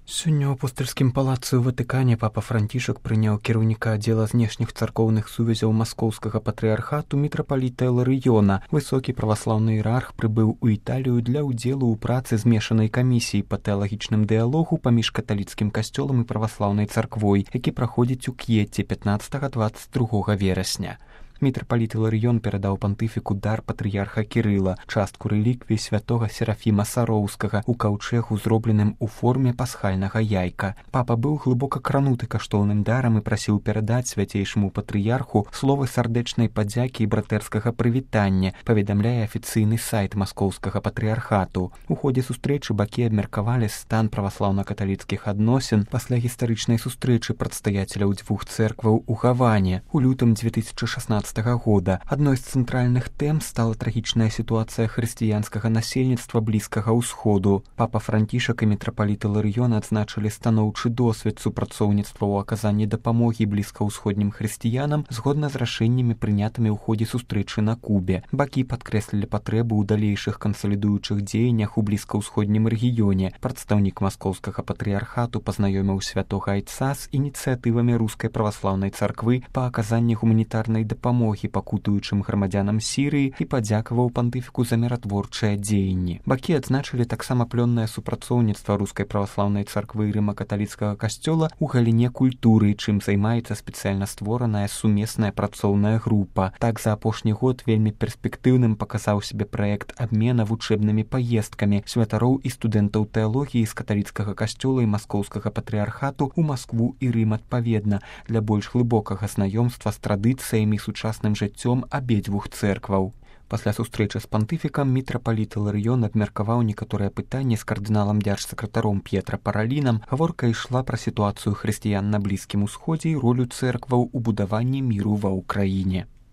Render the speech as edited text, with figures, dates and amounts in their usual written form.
Сёння ў апостальскім палацы ў Ватыкане папа Францішак прыняў кіраўніка аддзела знешніх царкоўных сувязяў маскоўскага патрыархату мітрапаліта Іларыёна. Высокі праваслаўны іерарх прыбыў у Італію для ўдзелу ў працы змешанай камісіі па тэалагічным дыялогу паміж каталіцкім касцёлам і праваслаўнай царквой, які праходзіць у К'етце 15-22 верасня. Мітрапаліт Іларыён перадаў пантыфіку дар патрыярха Кірыла, частку рэліквій святога Серафіма Сароўскага ў каўчэгу, зробленым у форме пасхальнага яйка. Папа быў глыбока крануты каштоўным дарам і прасіў перадаць свяцейшаму патрыярху словы сардэчнай падзякі і братэрскага прывітання, паведамляе афіцыйны сайт маскоўскага патрыярхату. У ходзе сустрэчы бакі абмеркавалі стан праваслаўна-каталіцкіх адносін пасля гістарычнай сустрэчы прадстаяцеляў дзвюх цэркваў у Гаване у лютым 2016 года. Адной з цэнтральных тэм стала трагічная сітуацыя хрысціянскага насельніцтва Блізкага ўсходу. Папа Францішак і мітрапаліт Іларыён адзначылі станоўчы досвед супрацоўніцтва ў аказанні дапамогі блізкаўсходнім хрысціянам згодна з рашэннямі, прынятымі ў ходзе сустрэчы на Кубе. Бакі падкрэслілі патрэбу ў далейшых кансалідуючых дзеяннях у блізкаўсходнім рэгіёне. Прадстаўнік маскоўскага патрыярхату пазнаёміў святога айца з ініцыятывамі рускай праваслаўнай царквы па аказанні гуманітарнай дапамогі пакутуючым грамадзянам Сірыі і падзякаваў пантыфіку за міратворчыя дзеянні. Бакі адзначылі таксама плённае супрацоўніцтва рускай праваслаўнай царквы і рыма-каталіцкага касцёла ў галіне культуры, чым займаецца спецыяльна створаная сумесная працоўная група. Так, за апошні год вельмі перспектыўным паказаў сябе праект абмена вучэбнымі паездкамі святароў і студэнтаў тэалогіі з каталіцкага касцёла і маскоўскага патрыярхату ў Маскву і Рым адпаведна, для больш глыбокага знаёмства з традыцыямі сучасным жыццём абедзвюх цэркваў. Пасля сустрэчы з пантыфікам мітрапаліт Іларыён абмеркаваў некаторыя пытанні з кардыналам дзяржсакратаром П'етра Паралінам. Гаворка ішла пра сітуацыю хрысціян на Блізкім усходзе і ролю цэркваў у будаванні міру ва ўкраіне.